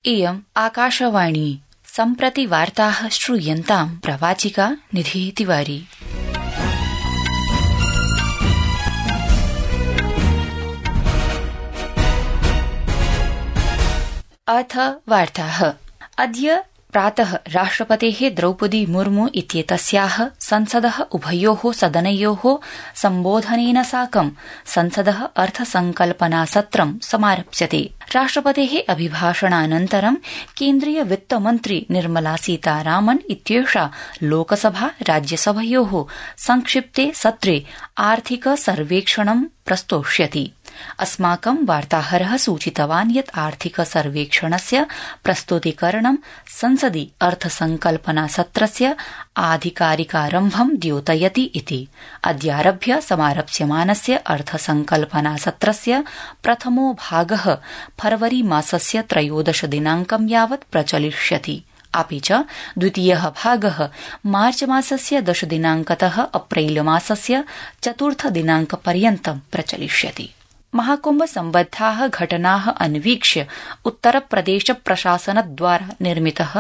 इयम् आकाशवाणी सम्प्रति वार्ताः श्रूयन्ताम् प्रवाचिका निधि तिवारी। अथ वार्ताः। अद्य प्रातः राष्ट्रपतेः द्रौपदी मुर्मू इत्येतस्याः संसदः उभयोः सदनयोः सम्बोधनेन साकं संसदः अर्थसंकल्पनासत्रं समारप्स्यते। राष्ट्रपतेः अभिभाषणानन्तरं केन्द्रीय वित्तमन्त्री निर्मला सीतारामन् इत्येषा लोकसभा राज्यसभयोः संक्षिप्ते सत्रे आर्थिक सर्वेक्षणं प्रस्तोष्यति। अस्माकं वार्ताहरः सूचितवान् यत् आर्थिक सर्वेक्षणस्य प्रस्तुतीकरणं संसदि अर्थसंकल्पनासत्रस्य आधिकारिकारम्भं द्योतयति इति। अद्यारभ्य समारप्स्यमानस्य अर्थसंकल्पनासत्रस्य प्रथमो भागः फरवरी मासस्य 13 दिनांकं यावत् प्रचलिष्यति। अपि च द्वितीयः भागः मार्च मासस्य 10 दिनांकतः अप्रैल मासस्य 4 दिनांकपर्यन्तं प्रचलिष्यति। महाकुंभ सम्बद्धाः घटनाः अन्वीक्ष्य उत्तरप्रदेश प्रशासनद्वारा निर्मितः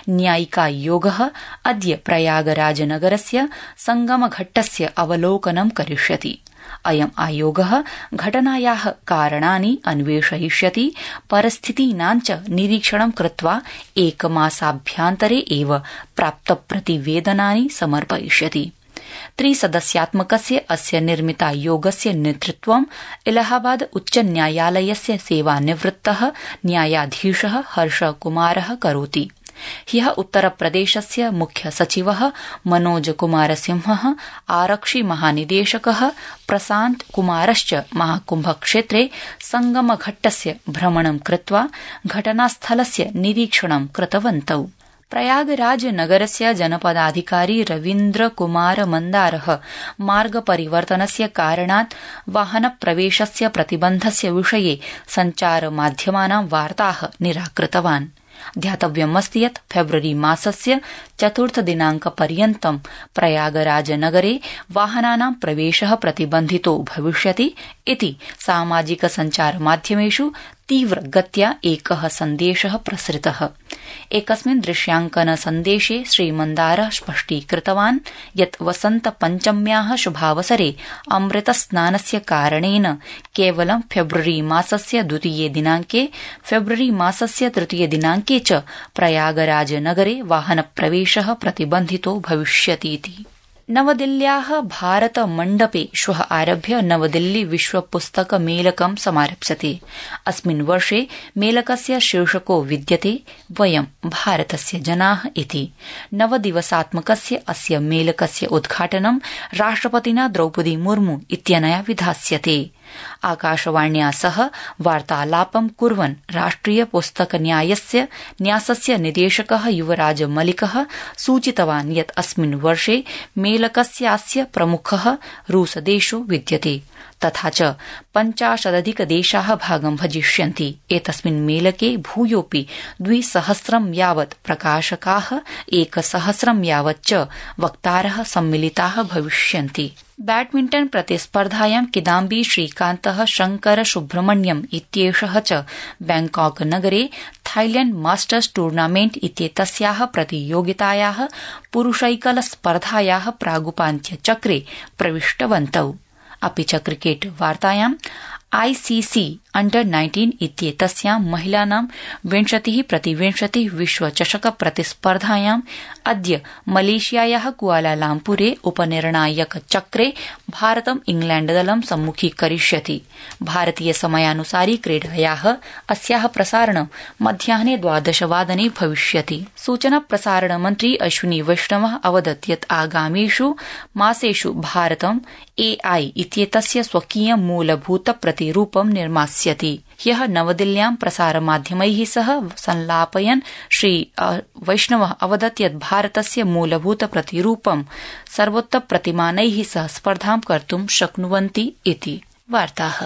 न्यायिकायोगः अद्य प्रयागराजनगरस्य संगमघट्टस्य अवलोकनं करिष्यति। अयम् आयोगः घटनायाः कारणानि अन्वेषयिष्यति, परिस्थितीनां च निरीक्षणं कृत्वा एकमासाभ्यन्तरे एव प्राप्तप्रतिवेदनानि समर्पयिष्यति। त्रिसदस्यात्मकस्य अस्य निर्मितायोगस्य नेतृत्वं इलाहाबाद उच्च न्यायालयस्य सेवानिवृत्तः न्यायाधीशः हर्षकुमारः करोति। ह्यः उत्तरप्रदेशस्य मुख्य सचिवः मनोज कुमार सिंहः, आरक्षि महानिदेशकः प्रशांत कुमारश्च महाकुम्भक्षेत्रे संगमघट्टस्य भ्रमणं कृत्वा घटनास्थलस्य निरीक्षणं कृतवन्तौ। प्रयागराज नगरस्य जनपदाधिकारी रवीन्द्र कुमार मन्दारः मार्गपरिवर्तनस्य कारणात् वाहनप्रवेशस्य प्रतिबन्धस्य विषये सञ्चारमाध्यमानां वार्ताः निराकृतवान्। ध्यातव्यमस्ति यत् फेब्रुअरी मासस्य 4 दिनांकपर्यन्तं प्रयागराजनगरे वाहनानां प्रवेशः प्रतिबन्धितो भविष्यति इति सामाजिक सञ्चारमाध्यमेषु तीव्रगत्या एकः सन्देशः प्रसृतः। एकस्मिन् दृश्यांकन सन्देशे श्रीमन्दारः स्पष्टीकृतवान् यत् वसन्तपञ्चम्याः शुभावसरे अमृतस्नानस्य कारणेन केवलं फेब्रुअरी मासस्य 2 दिनांके, फेब्रुअरी मासस्य 3 दिनांके च प्रयागराजनगरे वाहनप्रवेशः प्रतिबन्धितो भविष्यतीति। नवदिल्ल्याः भारत मण्डपे श्वः आरभ्य नवदिल्ली विश्व पुस्तक मेलकं समारप्स्यते। अस्मिन् वर्षे मेलकस्य शीर्षको विद्यते वयं भारतस्य जनाः इति। 9 दिवसात्मकस्य अस्य मेलकस्य उद्घाटनं राष्ट्रपतिना द्रौपदी मुर्मू इत्यनया विधास्यते। आकाशवाण्या सह वार्तालापं कुर्वन् राष्ट्रिय पुस्तक न्यासस्य निदेशकः युवराज मलिकः सूचितवान् यत् अस्मिन् वर्षे मेलकस्यास्य प्रमुखः रूसदेशो विद्यते, तथा च 50 देशाः भागं भजिष्यन्ति। एतस्मिन् मेलके भूयोऽपि 200 यावत् प्रकाशकाः, 100 यावत् च वक्तारः सम्मिलिताः भविष्यन्ति। बैडमिण्टन प्रतिस्पर्धायां किदाम्बी श्रीकान्तः शंकर सुब्रह्मण्यम् इत्येषः च बैंकॉक नगरे थाईलैंड मास्टर्स टूर्नामेंट इत्येतस्याः प्रतियोगितायाः पुरुषैकल स्पर्धायाः प्रागुपान्त्यचक्रे प्रविष्टवन्तौ। अपि च क्रिकेट वार्तायां ICC अंडर-19 इत्येतस्यां महिलानां 20-20 विश्वचषक प्रतिस्पर्धायां अद्य मलेशियायाः कुआलालम्पुरे उपनिर्णायक चक्रे भारतम् इंग्लैण्डदलं सम्मुखीकरिष्यति। भारतीय समयानुसारि क्रीडायाः अस्याः प्रसारणं मध्याह्ने 12 वादने भविष्यति। सूचना प्रसारण मन्त्री अश्विनी वैष्णवः अवदत् यत् आगामिषु मासेषु भारतम् AI इत्येतस्य स्वकीयं मूलभूत प्रतिरूपं निर्मास्यति। ह्यः नवदिल्ल्यां प्रसारमाध्यमैः सह संलापयन् श्री वैष्णवः अवदत् यत् भारतस्य मूलभूत प्रतिरूपं सर्वोत्तम प्रतिमानैः सह स्पर्धां कर्तुं शक्नुवन्ति इति। वार्ताः।